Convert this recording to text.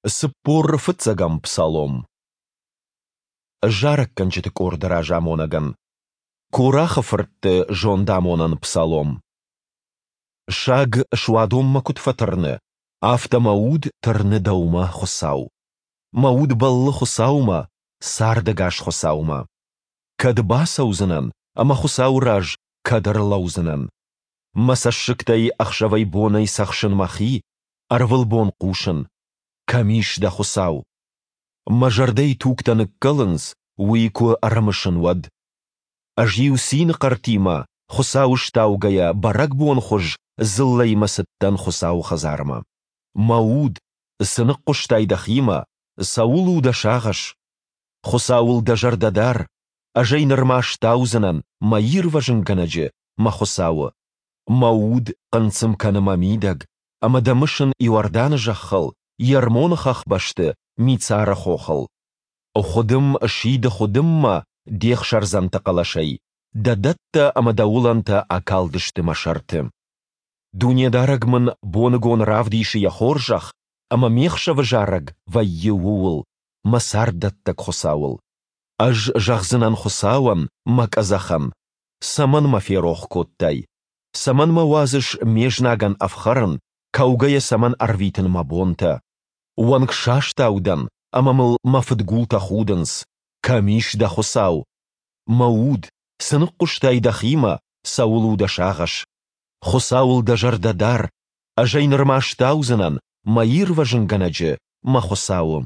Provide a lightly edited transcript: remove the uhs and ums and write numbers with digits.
45-ӕм псалом. Зарӕггӕнджыты къорды разамонӕгӕн. Корахы фыртты зондамонӕн псалом. Саг суадонмӕ куыд фӕтырны, афтӕ мӕ уд тырны Дӕумӕ, Хуыцау. Мӕ уд бӕллы Хуыцаумӕ, цардӕгас Хуыцаумӕ. Кӕд бацӕудзынӕн ӕмӕ Хуыцауы раз кӕд ӕрлӕудзынӕн? Мӕ цӕссыгтӕй ӕхсӕвӕй-бонӕй цӕхсын мӕхи, ӕрвылбон хъусын, Кӕм ис дӕ Хуыцау? Мӕ зӕрдӕйы тугтӕ ныккӕлынц, уый куы ӕрымысын, уӕд. Ӕз-иу цины хъӕртимӕ, Хуыцауы стаугӕйӕ, бӕрӕгбонхуыз дзыллӕимӕ цыдтӕн Хуыцауы хӕдзармӕ. Мӕ уд, цы ныхъхъуыстай дӕхимӕ, цӕуыл у дӕ сагъӕс? Хуыцауыл дӕ зӕрдӕ дар, ӕз ӕй нырма стаудзынӕн, мӕ ирвӕзынгӕнӕджы, мӕ Хуыцауы. Мӕ уд хъынцъым кӕны мӕ мидӕг, ӕмӕ дӕ мысын Иорданы зӕххыл, Ермоны хӕхбӕсты, Мицары хохыл. Хуыдым сиды хуыдыммӕ де хсӕрдзӕнты хъӕлӕсӕй, дӕ дӕттӕ ӕмӕ дӕ уылӕнтӕ акалдысты мӕ сӕрты. Дунедарӕг мын боныгон равдисы йӕ хорзӕх, ӕмӕ ме хсӕвы зарӕг вӕййы ууыл, мӕ царддӕттӕг Хуыцауыл. Ӕз зӕгъдзынӕн Хуыцауӕн, мӕ къӕдзӕхӕн, Цӕмӕн мӕ ферох кодтай? Цӕмӕн мӕ уадзыс ме знагӕн ӕфхӕрын, кӕугӕйӕ цӕмӕн ӕрвитын мӕ бонтӕ? Уӕнгсастау дӕн, ӕмӕ мыл мӕ фыдгултӕ худынц. Кӕм ис дӕ Хуыцау? Мӕ уд, цы ныхъхъуыстай дӕхимӕ, цӕуыл у дӕ сагъӕс? Хуыцауыл дӕ зӕрдӕ дар, ӕз ӕй нырма стаудзынӕн, мӕ ирвӕзынгӕнӕджы, мӕ Хуыцауы.